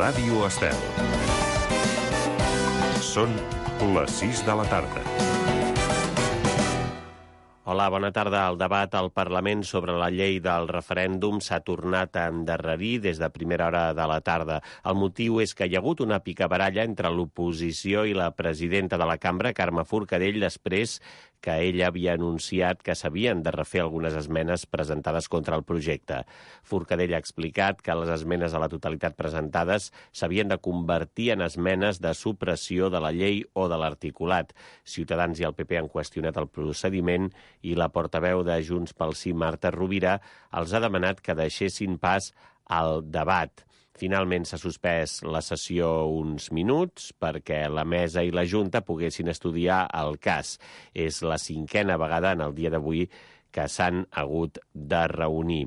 Ràdio Estel. Són les 6 de la tarda. Hola, bona tarda. El debat al Parlament sobre la llei del referèndum s'ha tornat a endarrerir des de primera hora de la tarda. El motiu és que hi ha hagut una picabaralla entre l'oposició i la presidenta de la cambra, Carme Forcadell, després que ella havia anunciat que s'havien de refer algunes esmenes presentades contra el projecte. Forcadell ha explicat que les esmenes a la totalitat presentades s'havien de convertir en esmenes de supressió de la llei o de l'articulat. Ciutadans i el PP han qüestionat el procediment i la portaveu de Junts pel Sí, Marta Rovira, els ha demanat que deixessin pas al debat. Finalment s'ha suspès la sessió uns minuts perquè la mesa i la Junta poguessin estudiar el cas. És la 5a vegada en el dia d'avui que s'han hagut de reunir.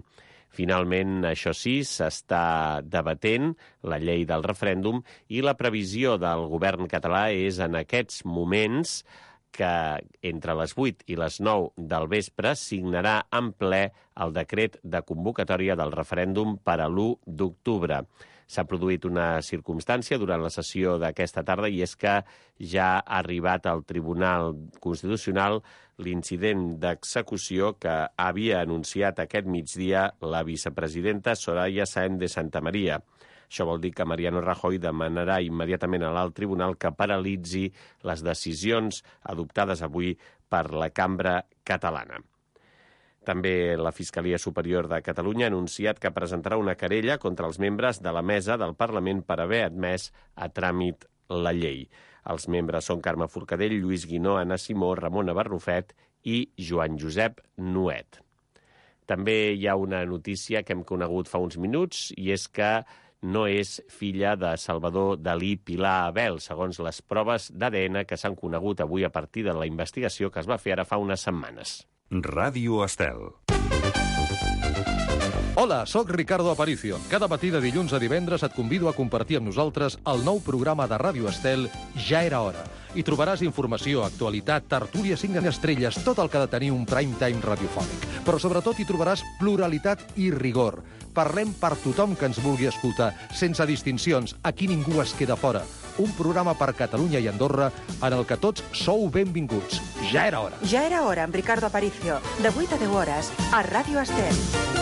Finalment, això sí, s'està debatent la llei del referèndum i la previsió del govern català és en aquests moments que entre les 8 i les 9 del vespre signarà en ple el decret de convocatòria del referèndum per a l'1 d'octubre. S'ha produït una circumstància durant la sessió d'aquesta tarda i és que ja ha arribat al Tribunal Constitucional l'incident d'execució que havia anunciat aquest migdia la vicepresidenta Soraya Sáenz de Santamaría. Això vol dir que Mariano Rajoy demanarà immediatament a l'alt tribunal que paralitzi les decisions adoptades avui per la cambra catalana. També la Fiscalia Superior de Catalunya ha anunciat que presentarà una querella contra els membres de la mesa del Parlament per haver admès a tràmit la llei. Els membres són Carme Forcadell, Lluís Guinó, Anna Simó, Ramona Barrufet i Joan Josep Nuet. També hi ha una notícia que hem conegut fa uns minuts i és que no és filla de Salvador Dalí Pilar Abel, segons les proves d'ADN que s'han conegut avui a partir de la investigació que es va fer ara fa unes setmanes. Ràdio Estel. Hola, sóc Ricardo Aparicio. Cada matí de dilluns a divendres et convido a compartir amb nosaltres el nou programa de Ràdio Estel Ja era hora. Hi trobaràs informació, actualitat, tertúlia 5 estrelles, tot el que ha de tenir un prime time radiofònic. Però sobretot hi trobaràs pluralitat i rigor. Parlem per tothom que ens vulgui escoltar, sense distincions, aquí ningú es queda fora. Un programa per Catalunya i Andorra en el que tots sou benvinguts. Ja era hora. Ja era hora amb Ricardo Aparicio, de 8 a 10 hores, a Ràdio Estel.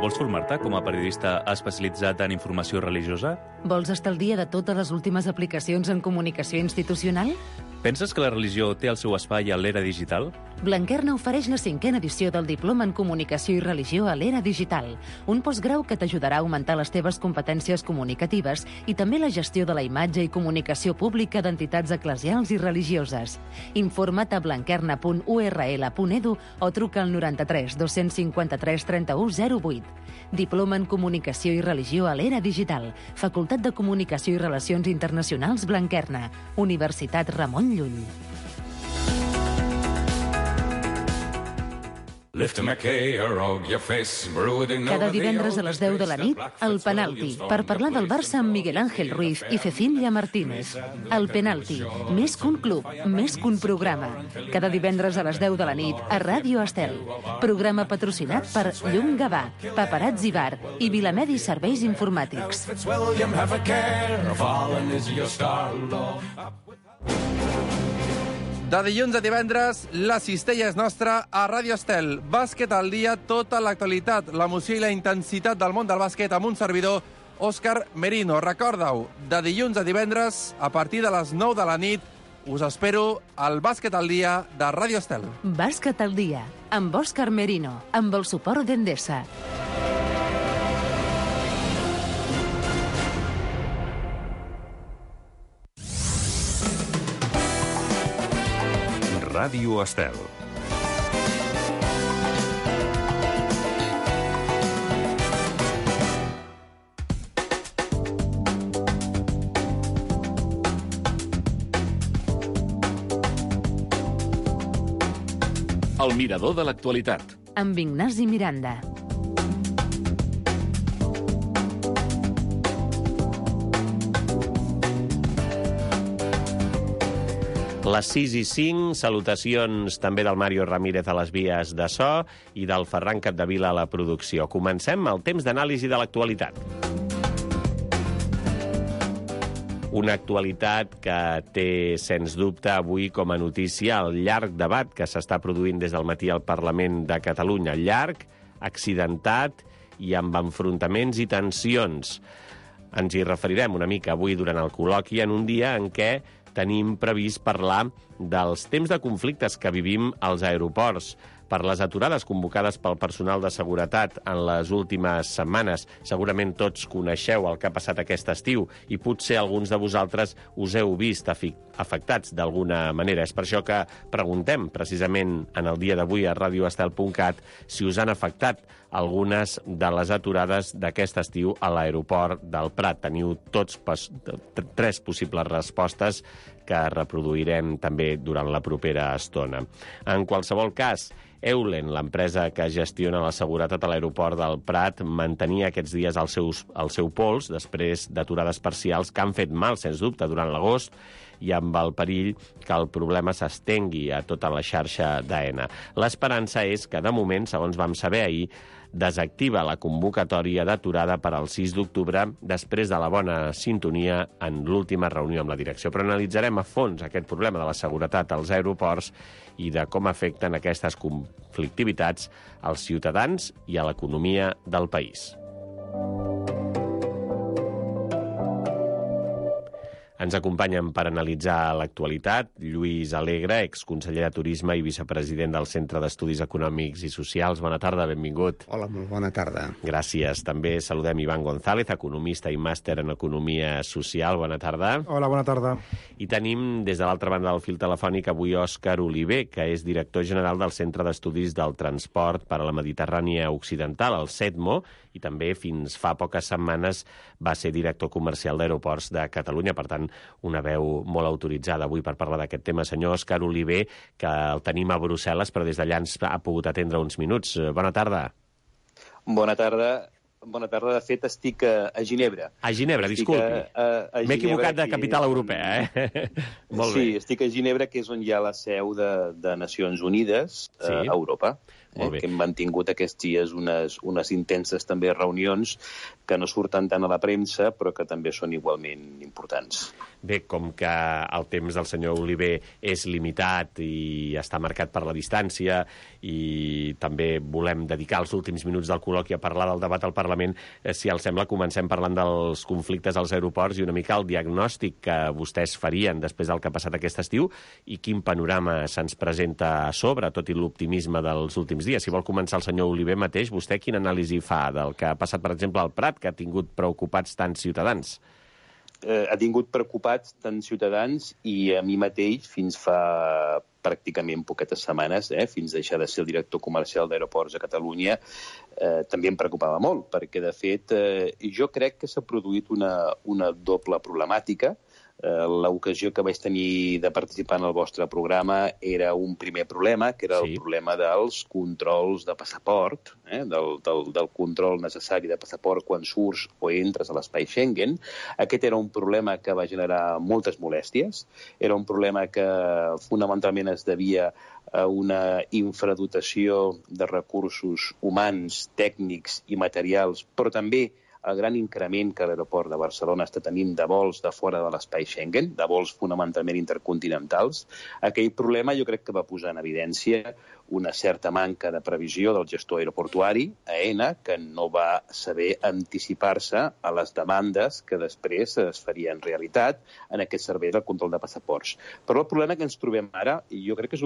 Vols formar-te com a periodista especialitzat en informació religiosa? Vols estar al dia de totes les últimes aplicacions en comunicació institucional? Penses que la religió té el seu espai a l'era digital? Blanquerna ofereix la 5a edició del Diploma en Comunicació i Religió a l'era digital, un postgrau que t'ajudarà a augmentar les teves competències comunicatives i també la gestió de la imatge i comunicació pública d'entitats eclesials i religioses. Informa't a blanquerna.url.edu o truca al 93 253 31 08. Diploma en Comunicació i Religió a l'era digital, Facultat de Comunicació i Relacions Internacionals Blanquerna, Universitat Ramon Llull. Cada divendres a les 10 de la nit, El Penalti, per parlar del Barça amb Miguel Ángel Ruiz i Cecilia Martínez. El Penalti, més que un club, més que un programa. Cada divendres a les 10 de la nit, a Ràdio Estel. Programa patrocinat per Llum Gavà, Paparazzi Bar i Vilamedi Serveis Informàtics. De dilluns a divendres, la cistella és nostra a Ràdio Estel. Bàsquet al dia, tota l'actualitat, l'emoció i la intensitat del món del bàsquet amb un servidor, Òscar Merino. Recorda-ho, de dilluns a divendres, a partir de les 9 de la nit, us espero al Bàsquet al dia de Ràdio Estel. Bàsquet al dia, amb Òscar Merino, amb el suport d'Endesa. Ràdio Estel. El mirador de l'actualitat. Amb Ignasi Miranda. Les 6:05, salutacions també del Mario Ramírez a les vies de so i del Ferran Capdevila a la producció. Comencem el temps d'anàlisi de l'actualitat. Una actualitat que té, sens dubte, avui com a notícia el llarg debat que s'està produint des del matí al Parlament de Catalunya. Llarg, accidentat i amb enfrontaments i tensions. Ens hi referirem una mica avui durant el col·loqui en un dia en què tenim previst parlar dels temps de conflictes que vivim als aeroports, per les aturades convocades pel personal de seguretat en les últimes setmanes. Segurament tots coneixeu el que ha passat aquest estiu i potser alguns de vosaltres us heu vist afectats d'alguna manera. És per això que preguntem precisament en el dia d'avui a radioestel.cat si us han afectat algunes de les aturades d'aquest estiu a l'aeroport del Prat. Teniu tots tres possibles respostes que reproduirem també durant la propera estona. En qualsevol cas, Eulen, l'empresa que gestiona la seguretat a l'aeroport del Prat, mantenia aquests dies el seu pols després d'aturades parcials que han fet mal, sens dubte, durant l'agost i amb el perill que el problema s'estengui a tota la xarxa d'AENA. L'esperança és que, de moment, segons vam saber ahir, desactiva la convocatòria d'aturada per al 6 d'octubre després de la bona sintonia en l'última reunió amb la direcció. Però analitzarem a fons aquest problema de la seguretat als aeroports i de com afecten aquestes conflictivitats als ciutadans i a l'economia del país. Ens acompanyen per analitzar l'actualitat Lluís Alegre, exconseller de Turisme i vicepresident del Centre d'Estudis Econòmics i Socials. Bona tarda, benvingut. Hola, molt bona tarda. Gràcies. També saludem Ivan González, economista i màster en Economia Social. Bona tarda. Hola, bona tarda. I tenim des de l'altra banda del fil telefònic avui Òscar Oliver, que és director general del Centre d'Estudis del Transport per a la Mediterrània Occidental, el CETMO, i també fins fa poques setmanes va ser director comercial d'Aeroports de Catalunya. Per tant, una veu molt autoritzada avui per parlar d'aquest tema. Senyor Òscar Oliver, que el tenim a Brussel·les, però des d'allà ens ha pogut atendre uns minuts. Bona tarda. Bona tarda. Bona tarda. De fet, estic a Ginebra. A Ginebra, disculpi. M'he equivocat de capital europea, Molt bé. Sí, estic a Ginebra, que és on hi ha la seu de Nacions Unides a Europa. Que hem mantingut aquests dies unes intenses també reunions que no surten tant a la premsa, però que també són igualment importants. Bé, com que el temps del senyor Oliver és limitat i està marcat per la distància i també volem dedicar els últims minuts del col·loqui a parlar del debat al Parlament, si els sembla, comencem parlant dels conflictes als aeroports i una mica el diagnòstic que vostès farien després del que ha passat aquest estiu i quin panorama se'ns presenta a sobre, tot i l'optimisme dels últims dies. Si vol començar el senyor Oliver mateix, vostè quina anàlisi fa del que ha passat, per exemple, al Prat, que ha tingut preocupats tants ciutadans? Ha tingut preocupats tants ciutadans i a mi mateix fins fa pràcticament poquetes setmanes, fins a deixar de ser el director comercial d'Aeroports a Catalunya, també em preocupava molt, perquè, de fet, jo crec que s'ha produït una doble problemàtica. L'ocasió que vaig tenir de participar en el vostre programa era un primer problema, que era el problema dels controls de passaport, del control necessari de passaport quan surts o entres a l'espai Schengen. Aquest era un problema que va generar moltes molèsties. Era un problema que fonamentalment es devia a una infradotació de recursos humans, tècnics i materials, però també el gran increment que l'aeroport de Barcelona està tenint de vols de fora de l'espai Schengen, de vols fonamentalment intercontinentals. Aquell problema jo crec que va posar en evidència una certa manca de previsió del gestor aeroportuari, AENA, que no va saber anticipar-se a les demandes que després es farien realitat en aquest servei del control de passaports. Però el problema que ens trobem ara, jo crec que és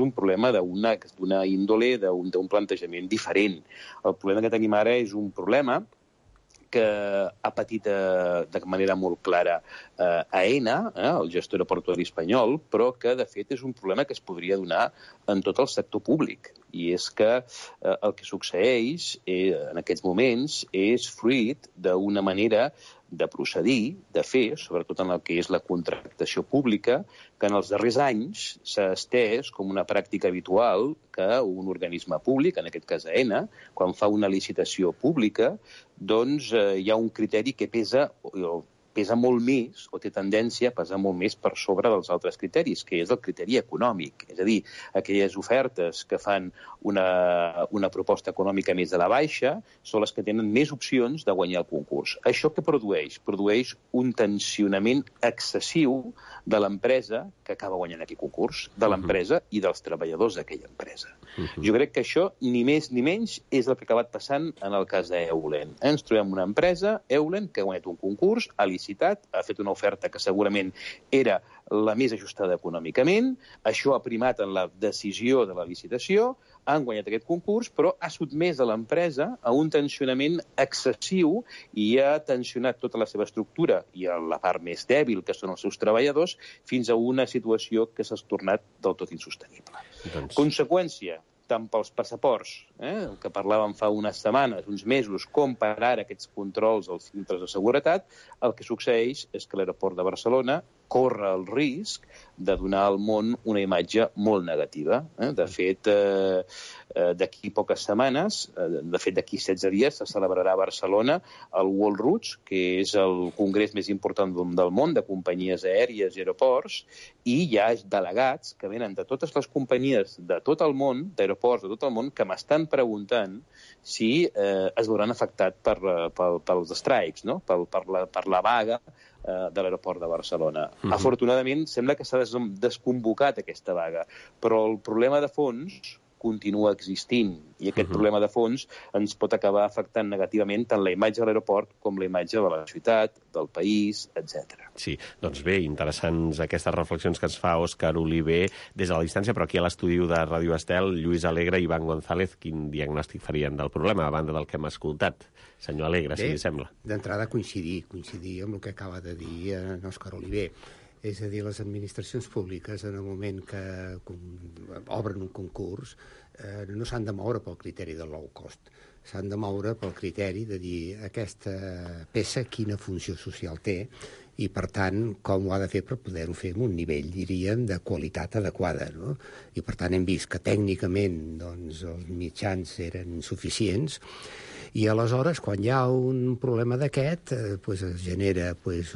un problema d'una índole, d'un plantejament diferent. El problema que tenim ara és un problema que ha patit de manera molt clara AENA, el gestor aeroportuari espanyol, però que, de fet, és un problema que es podria donar en tot el sector públic. I és que el que succeeix en aquests moments és fruit d'una manera de procedir, de fer, sobretot en el que és la contractació pública, que en els darrers anys s'ha estès com una pràctica habitual que un organisme públic, en aquest cas AENA, quan fa una licitació pública, doncs hi ha un criteri que pesa pesa molt més, o té tendència a pesar molt més per sobre dels altres criteris, que és el criteri econòmic. És a dir, aquelles ofertes que fan una proposta econòmica més a la baixa són les que tenen més opcions de guanyar el concurs. Això què produeix? Produeix un tensionament excessiu de l'empresa que acaba guanyant aquest concurs, de l'empresa i dels treballadors d'aquella empresa. Jo crec que això, ni més ni menys, és el que ha acabat passant en el cas d'Eulen. Ens trobem una empresa, Eulen, que ha guanyat un concurs, ha licitat, ha fet una oferta que segurament era la més ajustada econòmicament, això ha primat en la decisió de la licitació, han guanyat aquest concurs, però ha sotmès a l'empresa a un tensionament excessiu i ha tensionat tota la seva estructura i a la part més dèbil, que són els seus treballadors, fins a una situació que s'ha tornat del tot insostenible. Conseqüència, tant pels passaports, el que parlàvem fa unes setmanes, uns mesos, com per ara aquests controls als filtres de seguretat, el que succeeix és que l'aeroport de Barcelona corre el risc de donar al món una imatge molt negativa. De fet, d'aquí poques setmanes, de fet d'aquí 16 dies, se celebrarà a Barcelona el World Routes, que és el congrés més important del món de companyies aèries i aeroports, i hi ha delegats que venen de totes les companyies de tot el món, d'aeroports de tot el món, que m'estan preguntant si es veuran afectats pels strikes, no? per la vaga de l'aeroport de Barcelona. Afortunadament, sembla que s'ha desconvocat aquesta vaga, però el problema de fons continua existint, i aquest problema de fons ens pot acabar afectant negativament tant la imatge de l'aeroport com la imatge de la ciutat, del país, etc. Sí, doncs bé, interessants aquestes reflexions que ens fa Òscar Oliver des de la distància, però aquí a l'estudi de Ràdio Estel, Lluís Alegre i Ivan González, quin diagnòstic farien del problema, a banda del que hem escoltat? Senyor Alegre, si li sembla. D'entrada coincidir amb el que acaba de dir en Òscar Oliver. És a dir, les administracions públiques, en el moment que obren un concurs, no s'han de moure pel criteri del low cost. S'han de moure pel criteri de dir aquesta peça quina funció social té i, per tant, com ho ha de fer per poder-ho fer en un nivell, diríem, de qualitat adequada. No? I, per tant, hem vist que tècnicament doncs, els mitjans eren insuficients. I aleshores, quan hi ha un problema d'aquest, es genera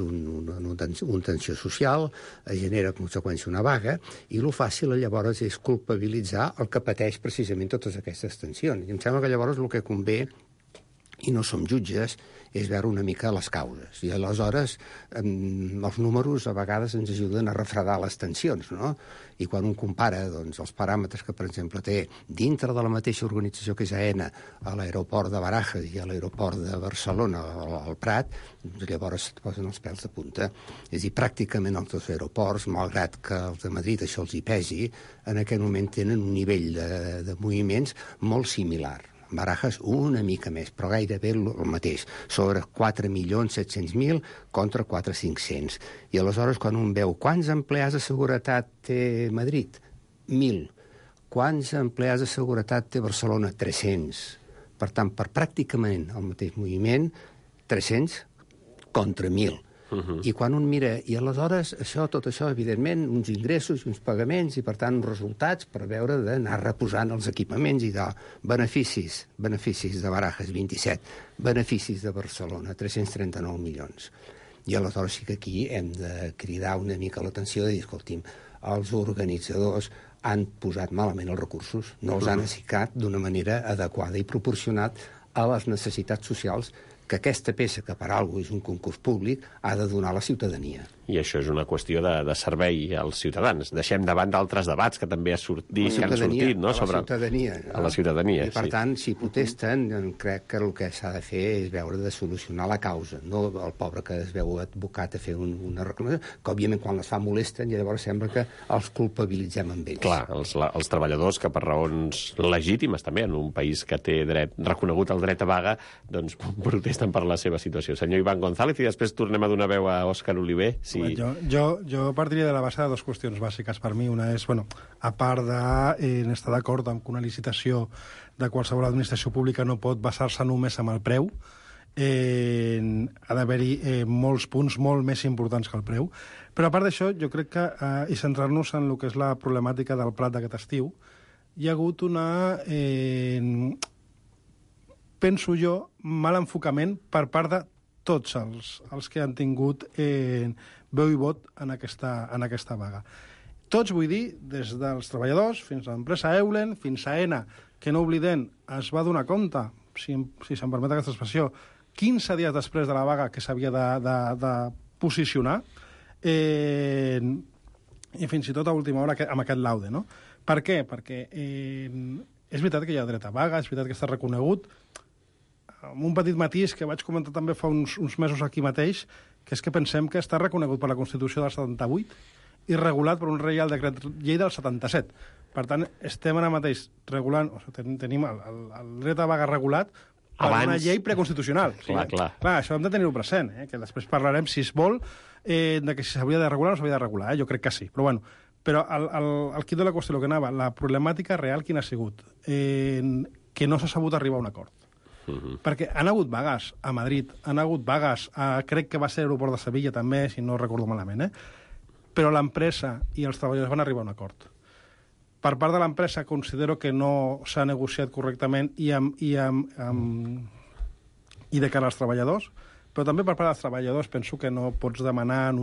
una tensió social, es genera a conseqüència una vaga, i el fàcil llavors és culpabilitzar el que pateix precisament totes aquestes tensions. I em sembla que llavors el que convé, i no som jutges, és veure una mica les causes. I aleshores els números a vegades ens ajuden a refredar les tensions, no? I quan un compara doncs, els paràmetres que, per exemple, té dintre de la mateixa organització que és AENA a l'aeroport de Barajas i a l'aeroport de Barcelona, al Prat, llavors et posen els pèls de punta. És a dir, pràcticament els dos aeroports, malgrat que els de Madrid això els hi pesi, en aquest moment tenen un nivell de moviments molt similar. Barajas una mica més, però gairebé el mateix, sobre 4.700.000 contra 4.500.000. I aleshores, quan un veu quants empleats de seguretat té Madrid? 1.000. Quants empleats de seguretat té Barcelona? 300. Per tant, per pràcticament el mateix moviment, 300 contra 1.000. I quan un mira, i aleshores tot això, evidentment, uns ingressos i uns pagaments, i per tant uns resultats per veure d'anar reposant els equipaments i de beneficis de Barajas, 27, beneficis de Barcelona, 339 milions. I aleshores sí que aquí hem de cridar una mica l'atenció de dir, escolti'm, els organitzadors han posat malament els recursos, no els han assigcat d'una manera adequada i proporcionat a les necessitats socials que aquesta peça, que per alguna cosa és un concurs públic, ha de donar a la ciutadania. I això és una qüestió de servei als ciutadans. Deixem davant d'altres debats que també han sortit, no? A la ciutadania. I, per tant, si protesten, crec que el que s'ha de fer és veure de solucionar la causa, no el pobre que es veu advocat a fer una reclamació, que, òbviament, quan les fa molesten, i llavors sembla que els culpabilitzem amb ells. Clar, els treballadors que per raons legítimes, també, en un país que té reconegut el dret a vaga, doncs protesten per la seva situació. Senyor Ivan González, i després tornem a donar veu a Òscar Oliver. Sí. Jo partiria de la base de dues qüestions bàsiques per mi. Una és, a part d'estar d'acord amb que una licitació de qualsevol administració pública no pot basar-se només en el preu, ha d'haver-hi molts punts molt més importants que el preu. Però a part d'això, jo crec que, i centrar-nos en el que és la problemàtica del Prat d'aquest estiu, hi ha hagut penso jo, mal enfocament per part de tots els que han tingut veu i vot en aquesta vaga. Tots, vull dir, des dels treballadors fins a l'empresa Eulen, fins a ENA, que no oblidem, es va donar compte, si se'm permet aquesta expressió, 15 dies després de la vaga que s'havia de posicionar, i fins i tot a última hora amb aquest laude, no? Per què? Perquè és veritat que hi ha dret a vaga, és veritat que està reconegut, amb un petit matís que vaig comentar també fa uns mesos aquí mateix, que és que pensem que està reconegut per la Constitució del 78 i regulat per un Reial Decret Llei del 77. Per tant, estem ara mateix regulant, tenim el dret a vaga regulat per una llei preconstitucional. Clar. Això hem de tenir-ho present, que després parlarem, si es vol, de que si s'hauria de regular o no s'hauria de regular. Jo crec que sí, però bueno. Però el quid de la qüestió, el que anava, la problemàtica real quina ha sigut? Que no s'ha sabut arribar a un acord. Perquè han hagut vagues a Madrid, han hagut vagues crec que va ser l'aeroport de Sevilla també, si no recordo malament, però l'empresa i els treballadors van arribar a un acord. Per part de l'empresa considero que no s'ha negociat correctament i de cara als treballadors, però també per part dels treballadors penso que no pots demanar en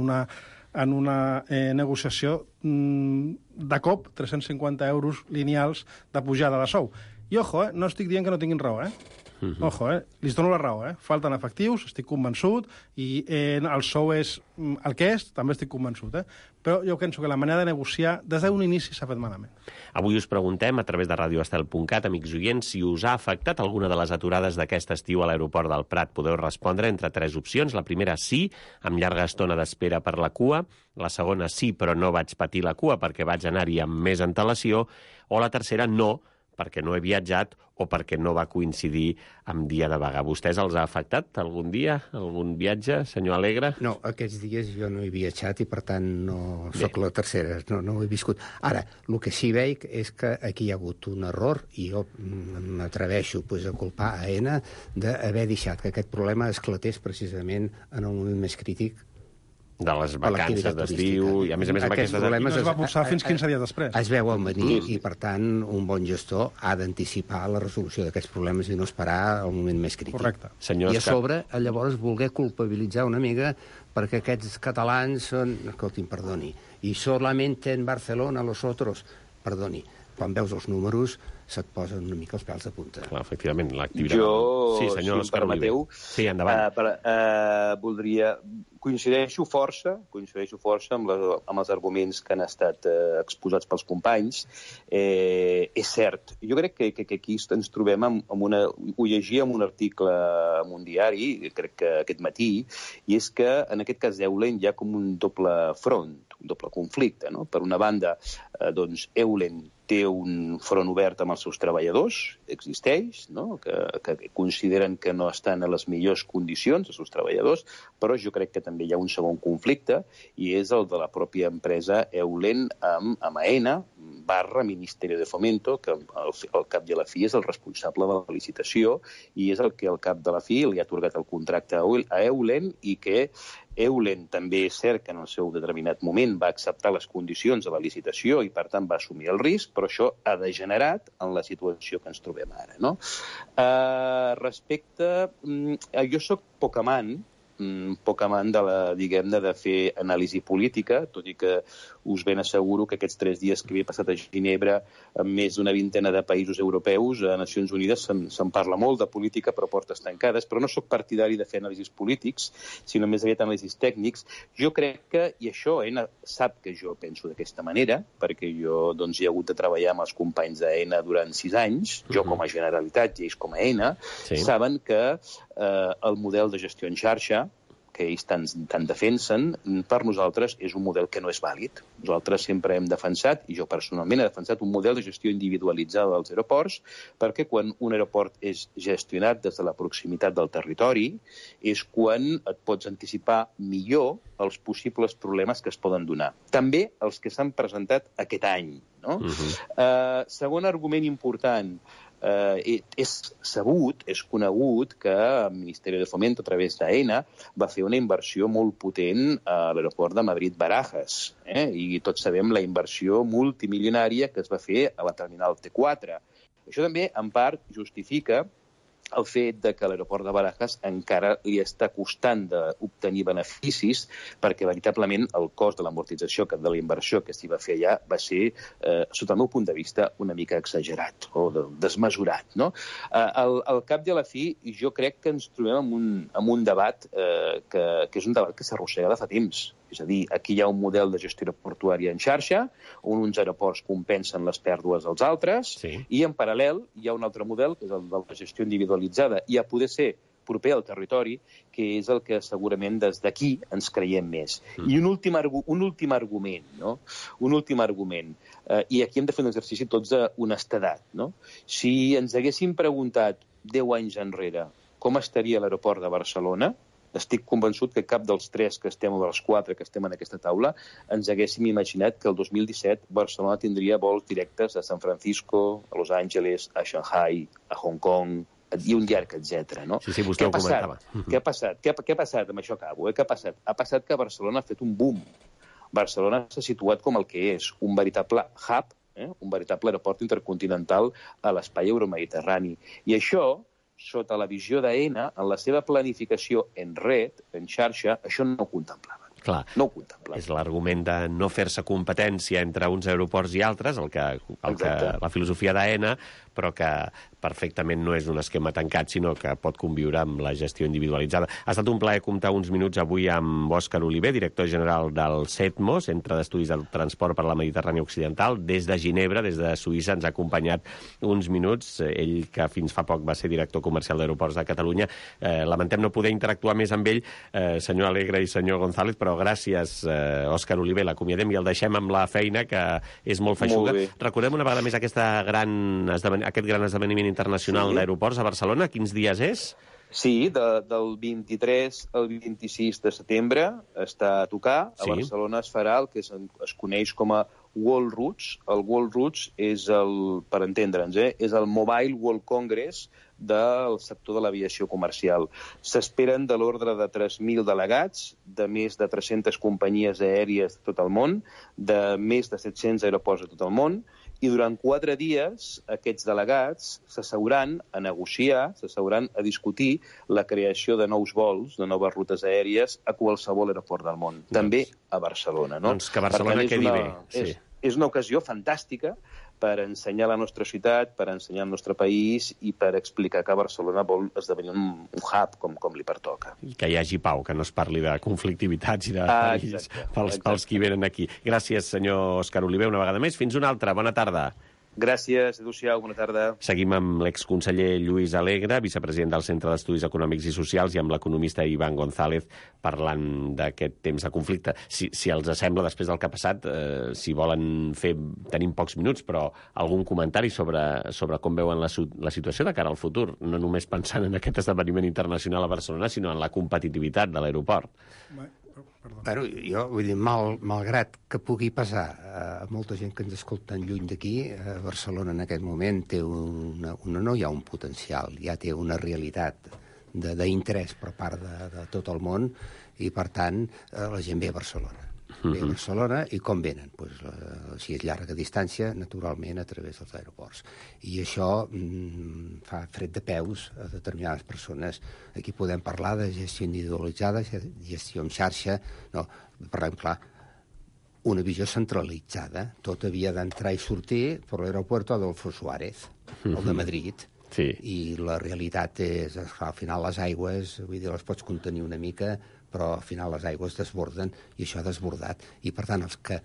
una negociació de cop 350 euros lineals de pujada de sou. I ojo, no estic dient que no tinguin raó, Ojo, li dono la raó, falten efectius, estic convençut, i el sou és el que és, també estic convençut, Però jo penso que la manera de negociar des d'un inici s'ha fet malament. Avui us preguntem, a través de radioestel.cat, amics oients, si us ha afectat alguna de les aturades d'aquest estiu a l'aeroport del Prat. Podeu respondre entre 3 opcions. La primera, sí, amb llarga estona d'espera per la cua. La segona, sí, però no vaig patir la cua perquè vaig anar-hi amb més antelació. O la tercera, no, perquè no he viatjat o perquè no va coincidir amb dia de vaga. Vostès els ha afectat algun dia, algun viatge, senyor Alegre? No, aquests dies jo no he viatjat i, per tant, no sóc la tercera, no ho he viscut. Ara, el que sí veig és que aquí hi ha hagut un error i jo m'atreveixo a culpar a ENA d'haver deixat que aquest problema esclatés precisament en el moment més crític de les vacances d'estiu, i a més aquests problemes es va posar fins 15 dies després. Es veuen venir i, per tant, un bon gestor ha d'anticipar la resolució d'aquests problemes i no esperar el moment més crític. Correcte. I a sobre, llavors, voler culpabilitzar una mica perquè aquests catalans són... Escolti'm, perdoni. I solamente en Barcelona los otros... Perdoni. Quan veus els números se't posen una mica els pèls de punta. Clar, efectivament, l'activitat... Jo, si em permeteu, sí, endavant. Voldria... Coincideixo força amb els arguments que han estat exposats pels companys. És cert. Jo crec que aquí ens trobem amb una... Ho llegia en un article en un diari, crec que aquest matí, i és que en aquest cas d'Eulen hi ha com un doble front, un doble conflicte, no? Per una banda, doncs, Eulen té un front obert amb els seus treballadors, existeix, no? que consideren que no estan a les millors condicions, els seus treballadors, però jo crec que també hi ha un segon conflicte, i és el de la pròpia empresa Eulen amb AENA, /Ministerio de Fomento, que al cap i a la fi és el responsable de la licitació i és el que al cap de la fi li ha atorgat el contracte a Eulen i que Eulen també és cert que en el seu determinat moment va acceptar les condicions de la licitació i per tant va assumir el risc, però això ha degenerat en la situació que ens trobem ara, no? Jo soc poc amant de la, diguem-ne, de fer anàlisi política, tot i que us ben asseguro que aquests 3 dies que he passat a Ginebra amb més d'una vintena de països europeus, a Nacions Unides se'n parla molt de política però portes tancades, però no sóc partidari de fer anàlisis polítics, sinó més aviat anàlisis tècnics. Jo crec que, i això ENA sap que jo penso d'aquesta manera, perquè jo doncs, he hagut de treballar amb els companys d'ENA durant 6 anys, jo com a Generalitat i ells com a ENA, saben que el model de gestió en xarxa que ells tant defensen, per nosaltres és un model que no és vàlid. Nosaltres sempre hem defensat, i jo personalment he defensat un model de gestió individualitzada dels aeroports, perquè quan un aeroport és gestionat des de la proximitat del territori és quan et pots anticipar millor els possibles problemes que es poden donar. També els que s'han presentat aquest any. No? Segon argument important, és sabut, és conegut que el Ministeri de Fomento, a través d'AENA, va fer una inversió molt potent a l'aeroport de Madrid-Barajas. I tots sabem la inversió multimilionària que es va fer a la terminal T4. Això també, en part, justifica el fet de que l'aeroport de Barajas encara li està costant d'obtenir beneficis perquè veritablement el cost de l'amortització de la inversió que s'hi va fer allà va ser, sota el meu punt de vista, una mica exagerat o desmesurat. No? Al cap i a la fi, jo crec que ens trobem en un debat que és un debat que s'arrossega de fa temps. És a dir, aquí hi ha un model de gestió aeroportuària en xarxa, on uns aeroports compensen les pèrdues dels altres, i en paral·lel hi ha un altre model, que és el de la gestió individualitzada, i a poder ser proper al territori, que és el que segurament des d'aquí ens creiem més. I un últim argument, no? Un últim argument. I aquí hem de fer un exercici tots d'honestedat, no? Si ens haguéssim preguntat 10 anys enrere com estaria l'aeroport de Barcelona, estic convençut que cap dels 3 que estem o dels 4 que estem en aquesta taula ens haguéssim imaginat que el 2017 Barcelona tindria vols directes a San Francisco, a Los Angeles, a Shanghai, a Hong Kong, i un llarg, etc. No? Sí, vostè ho comentava. Què ha passat? Què ha passat? Amb això acabo. Què ha passat? Ha passat que Barcelona ha fet un boom. Barcelona s'ha situat com el que és, un veritable hub, un veritable aeroport intercontinental a l'espai euromediterrani. I això, sota la visió d'AENA, en la seva planificació en red, en xarxa, això no ho contemplava. Clar, no ho contemplava. És l'argument de no fer-se competència entre uns aeroports i altres, la filosofia d'AENA, però que perfectament no és un esquema tancat, sinó que pot conviure amb la gestió individualitzada. Ha estat un plaer comptar uns minuts avui amb Òscar Oliver, director general del CETMO, Centre d'Estudis del Transport per la Mediterrània Occidental. Des de Ginebra, des de Suïssa, ens ha acompanyat uns minuts. Ell, que fins fa poc va ser director comercial d'Aeroports de Catalunya. Lamentem no poder interactuar més amb ell, senyor Alegre i senyor González, però gràcies, Òscar Oliver, l'acomiadem i el deixem amb la feina, que és molt feixuga. Recordem una vegada més aquest gran esdeveniment internacional d'aeroports a Barcelona. Quins dies és? Sí, del 23 al 26 de setembre està a tocar. A Barcelona es farà el que es coneix com a World Routes. El World Routes és per entendre'ns, és el Mobile World Congress del sector de l'aviació comercial. S'esperen de l'ordre de 3.000 delegats, de més de 300 companyies aèries de tot el món, de més de 700 aeroports de tot el món, i durant 4 dies aquests delegats s'asseuran a negociar, s'asseuran a discutir la creació de nous vols, de noves rutes aèries a qualsevol aeroport del món, també a Barcelona. No? Doncs que Barcelona quedi bé. Sí. És una ocasió fantàstica per ensenyar la nostra ciutat, per ensenyar el nostre país i per explicar que Barcelona vol esdevenir un hub com li pertoca. I que hi hagi pau, que no es parli de conflictivitats i de perills pels qui venen aquí. Gràcies, senyor Òscar Oliver, una vegada més. Fins una altra. Bona tarda. Gràcies, adéu-siau, bona tarda. Seguim amb l'exconseller Lluís Alegre, vicepresident del Centre d'Estudis Econòmics i Socials, i amb l'economista Iván González, parlant d'aquest temps de conflicte. Si els sembla, després del que ha passat, si volen fer... Tenim pocs minuts, però algun comentari sobre com veuen la situació de cara al futur, no només pensant en aquest esdeveniment internacional a Barcelona, sinó en la competitivitat de l'aeroport. Bueno, jo vull dir, malgrat que pugui passar a molta gent que ens escolta lluny d'aquí, Barcelona en aquest moment té no hi ha un potencial, ja té una realitat d'interès per part de tot el món i, per tant, la gent ve a Barcelona. Ve a Barcelona i com venen? Si és llarga distància, naturalment, a través dels aeroports. I això fa fred de peus a determinades persones. Aquí podem parlar de gestió individualitzada, gestió en xarxa. No, parlem clar, una visió centralitzada. Tot havia d'entrar i sortir per l'aeroport Adolfo Suárez, el de Madrid. Sí. I la realitat és, al final, les aigües, vull dir, les pots contenir una mica, però al final les aigües desborden i això ha desbordat. I, per tant, els que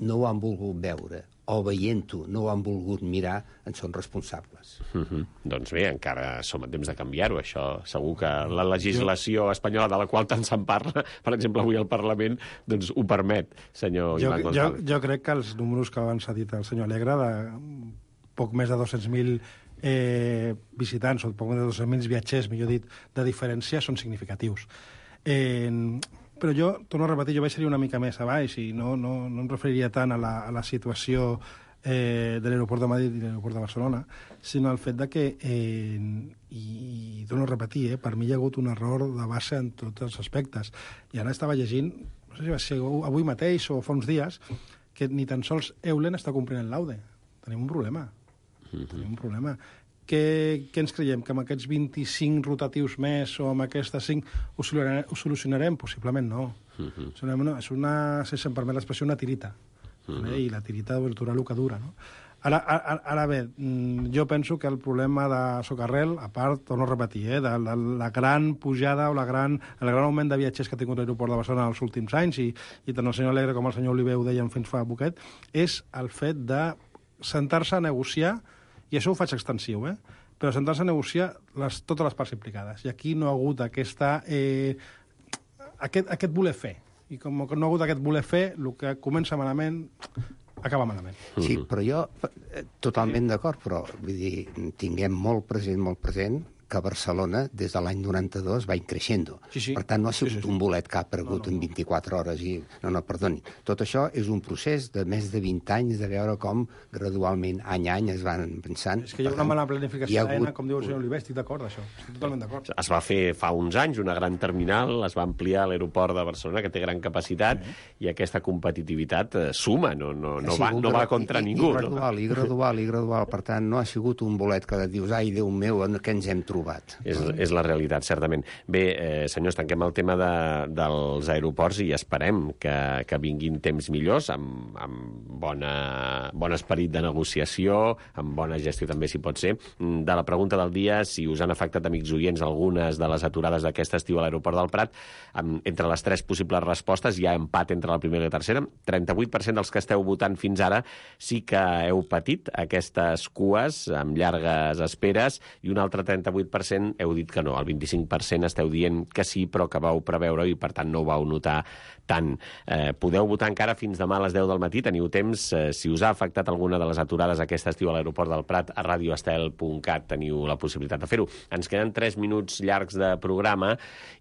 no ho han volgut veure o veient-ho no ho han volgut mirar en són responsables. Doncs bé, encara som a temps de canviar-ho, això. Segur que la legislació espanyola, de la qual tant se'n parla, per exemple, avui al Parlament, doncs ho permet, senyor Iván González. Jo crec que els números que abans ha dit el senyor Alegre, de poc més de 200.000 visitants, o poc més de 200.000 viatgers, millor dit, de diferència, són significatius. Però jo, torno a repetir, jo vaig ser una mica més a baix i no em referiria tant a la situació de l'aeroport de Madrid i l'aeroport de Barcelona, sinó al fet de que, i torno a repetir, per mi hi ha hagut un error de base en tots els aspectes. I ara estava llegint, no sé si va ser avui mateix o fa uns dies, que ni tan sols Eulen està complint el laude. Tenim un problema. Tenim un problema. Què ens creiem? Que amb aquests 25 rotatius més o amb aquestes 5 ho solucionarem? Possiblement no. És una, si se'm permet l'expressió, una tirita. I la tirita dura el que dura, no? Ara bé, jo penso que el problema de Socarrel, a part, torno a repetir, de la gran pujada o el gran augment de viatgers que ha tingut l'aeroport de Barcelona els últims anys, i tant el senyor Alegre com el senyor Oliver ho deien fins fa poquet, és el fet de sentar-se a negociar, i això ho faig extensiu, però sentar-se a negociar totes les parts implicades. I aquí no ha hagut aquest voler fer. I com no ha hagut aquest voler fer, el que comença malament acaba malament. Sí, però jo totalment d'acord, però vull dir, tinguem molt present que Barcelona, des de l'any 92, va increixent. Per tant, no ha sigut un bolet que ha aparegut en 24 hores. No, perdoni. Tot això és un procés de més de 20 anys de veure com gradualment, any a any, es van pensant. És que hi ha una mala planificació d'AENA, com diu el senyor Oliver, estic d'acord, això. Estic totalment d'acord. Es va fer fa uns anys una gran terminal, es va ampliar l'aeroport de Barcelona, que té gran capacitat, i aquesta competitivitat suma, no va contra ningú. I gradual. Per tant, no ha sigut un bolet que dius, ai, Déu meu, què ens hem trobat? És la realitat, certament. Bé, senyors, tanquem el tema dels aeroports i esperem que vinguin temps millors, amb bon esperit de negociació, amb bona gestió també, si pot ser. De la pregunta del dia, si us han afectat, amics oients, algunes de les aturades d'aquest estiu a l'aeroport del Prat, entre les 3 possibles respostes hi ha empat entre la primera i la tercera. 38% dels que esteu votant fins ara sí que heu patit aquestes cues amb llargues esperes, i un altre 38% heu dit que no. El 25% esteu dient que sí, però que vau preveure i, per tant, no ho vau notar tant. Podeu votar encara fins demà a les 10 del matí. Teniu temps. Si us ha afectat alguna de les aturades aquest estiu a l'aeroport del Prat, a radioestel.cat teniu la possibilitat de fer-ho. Ens queden 3 minuts llargs de programa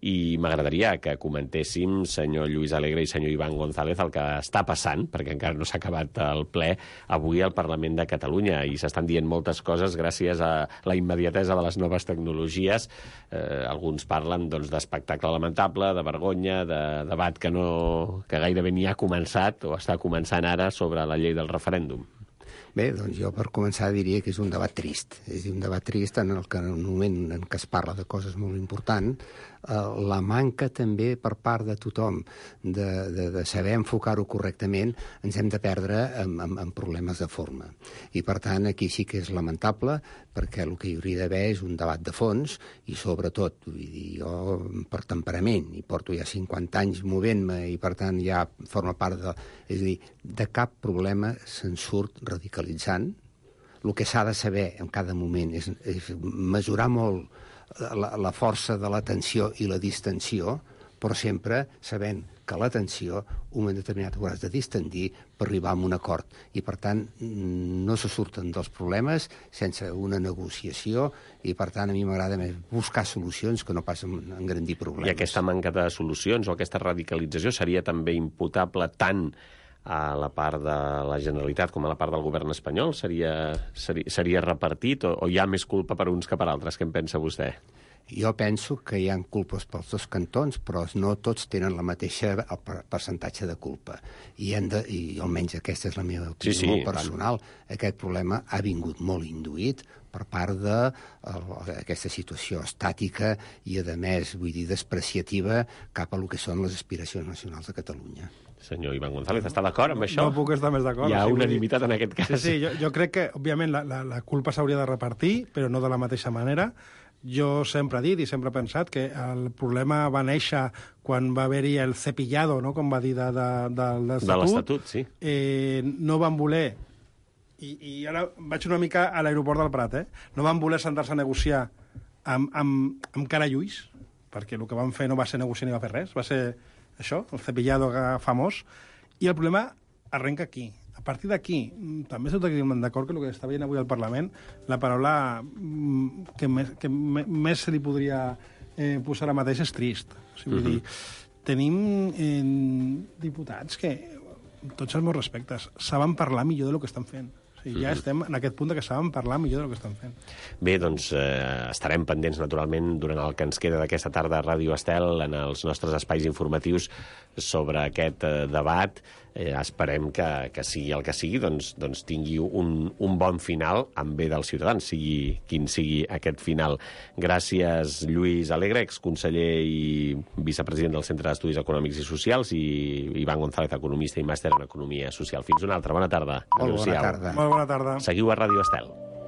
i m'agradaria que comentéssim, senyor Lluís Alegre i senyor Iván González, el que està passant, perquè encara no s'ha acabat el ple, avui al Parlament de Catalunya, i s'estan dient moltes coses gràcies a la immediatesa de les noves tecnologies. Alguns parlen d'espectacle lamentable, de vergonya, de debat que gairebé ni ha començat o està començant ara sobre la llei del referèndum. Bé, doncs jo per començar diria que és un debat trist. És un debat trist en el que en un moment en què es parla de coses molt importants, la manca també per part de tothom de saber enfocar-ho correctament, ens hem de perdre en problemes de forma. I per tant aquí sí que és lamentable, perquè el que hi hauria d'haver és un debat de fons i sobretot, vull dir, jo per temperament, i porto ja 50 anys movent-me i per tant ja forma part de... És a dir, de cap problema se'n surt radicalitzant. El que s'ha de saber en cada moment és mesurar molt la força de la tensió i la distensió, però sempre sabent que la tensió, un moment determinat ho has de distendir per arribar a un acord. I, per tant, no se surten dels problemes sense una negociació i, per tant, a mi m'agrada més buscar solucions que no pas engrandir problemes. I aquesta manca de solucions o aquesta radicalització seria també imputable tant a la part de la Generalitat com a la part del govern espanyol? Seria repartit o hi ha més culpa per uns que per altres? Què en pensa vostè? Jo penso que hi ha culpes pels dos cantons, però no tots tenen la mateixa percentatge de culpa. I almenys aquesta és la meva opinió molt personal. Aquest problema ha vingut molt induït per part d'aquesta situació estàtica i, a més, vull dir, despreciativa cap a el que són les aspiracions nacionals de Catalunya. Senyor Iván González, està d'acord amb això? No puc estar més d'acord. Hi ha unanimitat en aquest cas. Sí, jo crec que, òbviament, la culpa s'hauria de repartir, però no de la mateixa manera. Jo sempre he dit i sempre he pensat que el problema va néixer quan va haver-hi el cepillado, no?, com va dir, de l'Estatut. Sí. No van voler, i ara vaig una mica a l'aeroport del Prat, no van voler sentar-se a negociar amb cara i ulls, perquè el que van fer no va ser negociar ni va fer res, va ser això, el cepillado famós, i el problema arrenca aquí. A partir d'aquí, també estic d'acord que el que està veient avui al Parlament, la paraula que més se li podria posar ara mateix és trist. O sigui, vull dir, tenim diputats que, amb tots els meus respectes, saben parlar millor del que estan fent. O Ja estem en aquest punt que saben parlar millor del que estan fent. Bé, doncs estarem pendents, naturalment, durant el que ens queda d'aquesta tarda a Ràdio Estel, en els nostres espais informatius sobre aquest debat. Esperem que sigui el que sigui, doncs tingui un bon final en bé dels ciutadans, sigui quin sigui aquest final. Gràcies, Lluís Alegre, exconseller i vicepresident del Centre d'Estudis Econòmics i Socials, i Ivan González, economista i màster en Economia Social. Fins una altra. Bona tarda. Molt bona tarda. Molt bona tarda. Seguiu a Ràdio Estel.